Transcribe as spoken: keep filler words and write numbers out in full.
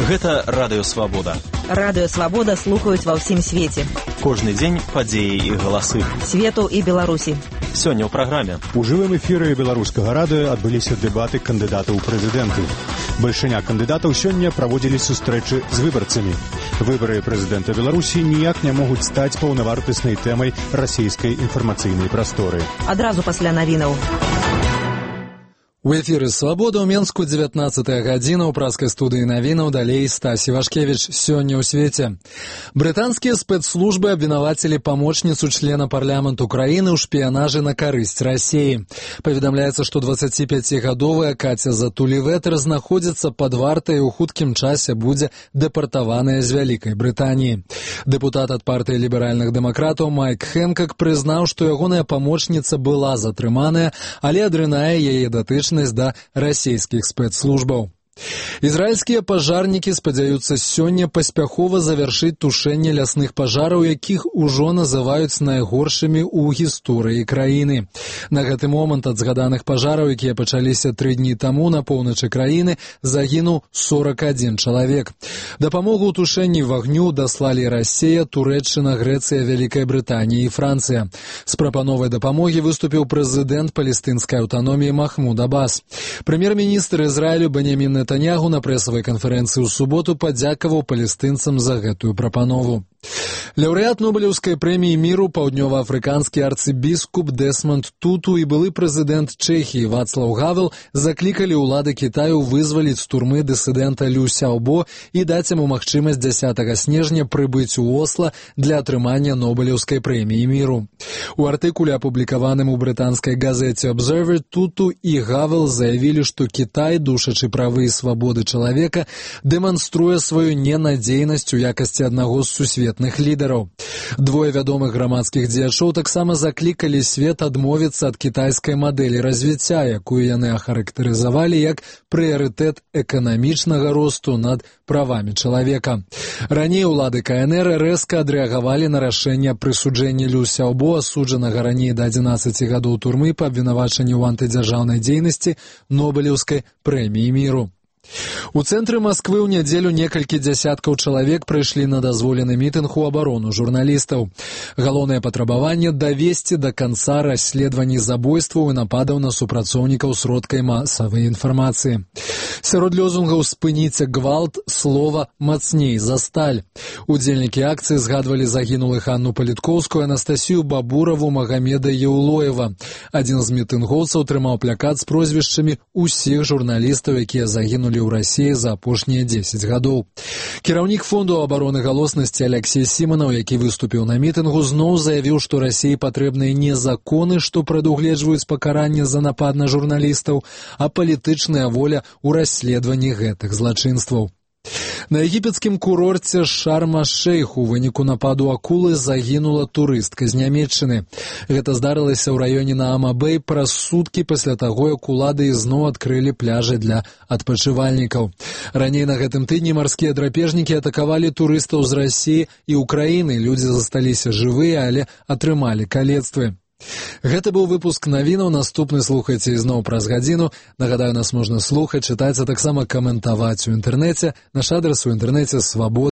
Гэта Радыё Свабода. Радыё Свабода слухаюць ва ўсім свеце. Кожны дзень падзеі і галасы. Свету і Беларусі. Сёння ў праграме. У жывым эфіры беларускага радыё адбыліся дэбаты кандыдатаў у прэзідэнты. Бальшыня кандыдатаў сёння праводзілі сустрэчы з выбарцамі. Выбары прэзідэнта Беларусі ніяк не могуць стаць паўнавартаснай тэмай расійскай інфармацыйнай прасторы. Адразу пасля навінаў. У эфіры «Свабода» ў Менску дзевятнаццатая гадзіна, ў праскай студыі навінаў, далей Стась Івашкевіч. Сёння ў свеце. Брытанскія спецслужбы абвінавацілі памочніцу члена парламенту краіны ў шпіянажы на карысць Расіі. Паведамляецца, што дваццаціпяцігадовая Каця Затулі-Ветер знаходзіцца пад вартай і ў хуткім часе будзе дэпартаваная з Вялікай Брытаніі. Дэпутат ад партыі ліберальных дэмакратаў Майк Хэнкак прызнаў, што ягоная памочніца была затрыманая, але адрынае яе датычнасць да расійскіх спецслужбаў. Ізраільскія пажарнікі спадзяюцца сёння паспяхова завяршыць тушэнне лясных пажараў, якіх ужо называюць найгоршымі ў гісторыі краіны. На гэты момант ад згаданых пажараў, якія пачаліся тры дні таму на поўначы краіны, загінуў сорак адзін чалавек. Дапамогу ў тушэнні вагню даслалі Расія, Турэччына, Грэцыя, Вялікая Брытанія і Францыя. З прапановай дапамогі выступіў прэзідэнт палестынскай аўтаноміі Махмуд Аббас. Прэм'ер-міністр Ізраілю Беньямін Нетаньяху на прэсавай канферэнцыі ў суботу падзякаваў палестынцам за гэтую прапанову. Лаўрэат Нобелеўскай прэміі міру, паўднёваафрыканскі арцыбіскуп Дэсмонд Туту і былы прэзідэнт Чэхіі Вацлаў Гавел заклікалі ўлады Кітаю вызваліць з турмы дысідэнта Лю Сяобо і даць яму магчымасць дзясятага снежня прыбыць у Осла для атрымання Нобелеўскай прэміі міру. У артыкуле, апублікаваным у брытанскай газеце Observer, Туту і Гавел заявілі, што Кітай, душачы правы і свабоды чалавека, дэманструе сваю ненадзейнасць у якасці аднаго з сусветных лідараў. Двое вядомых грамадскіх дзеячоў таксама заклікалі свет адмовіцца ад кітайскай мадэлі развіцця, якую яны ахарактарызавалі як прыярытэт эканамічнага росту над правамі чалавека. Раней улады ка эн эр рэзка адрэагавалі на рашэнне прысуджэння Лю Сяобо, асуджанага раней да адзінаццаці гадоў турмы па абвінавачанні ў антыдзяржаўнай дзейнасці, Нобелеўскай прэміі міру. У цэнтры Масквы ў нядзелю некалькі дзясяткаў чалавек прыйшлі на дазволены мітынг у абарону журналістаў. Галоўнае патрабаванне — давесці да канца расследаванні забойстваў і нападаў на супрацоўнікаў сродкай масавай інфармацыі. Сярод лёзунгаў «спыніце гвалт», слова «мацней за сталь». Удзельнікі акцыі згадвалі загінулых Анну Палітковскую, Анастасію Бабураву, Магамеда Яулоева. Адзін з мітынгоўцаў трымаў плакат з прозвішчамі ўсіх журналістаў, якія загінулі ў Расіі за апошнія дзесяць гадоў. Кіраўнік фонду абароны галоснасці Аляксей Сіманаў, які выступіў на мітынгу, зноў заявіў, што Расіі патрэбныя не законы, што прадугледжваюць пакаранне за напад на журналістаў, а палітычная воля ў расследаванні гэтых злачынстваў. На егіпецкім курорце Шарм-аш-Шейх у выніку нападу акулы загінула турыстка з Нямецчыны. Гэта здарылася ў раёне Наама-Бэй праз суткі пасля таго, як улады ізноў адкрылі пляжы для адпачывальнікаў. Раней на гэтым тыдні марскія драпежнікі атакавалі турыстаў з Расіі і Украіны. Людзі засталіся жывыя, але атрымалі калецтвы. Гэта быў выпуск навінаў, наступны слухайце ізноў праз гадзіну. Нагадаю, нас можна слухаць, чытаць, а таксама каментаваць у інтэрнэце. Наш адрас у інтэрнэце свабода.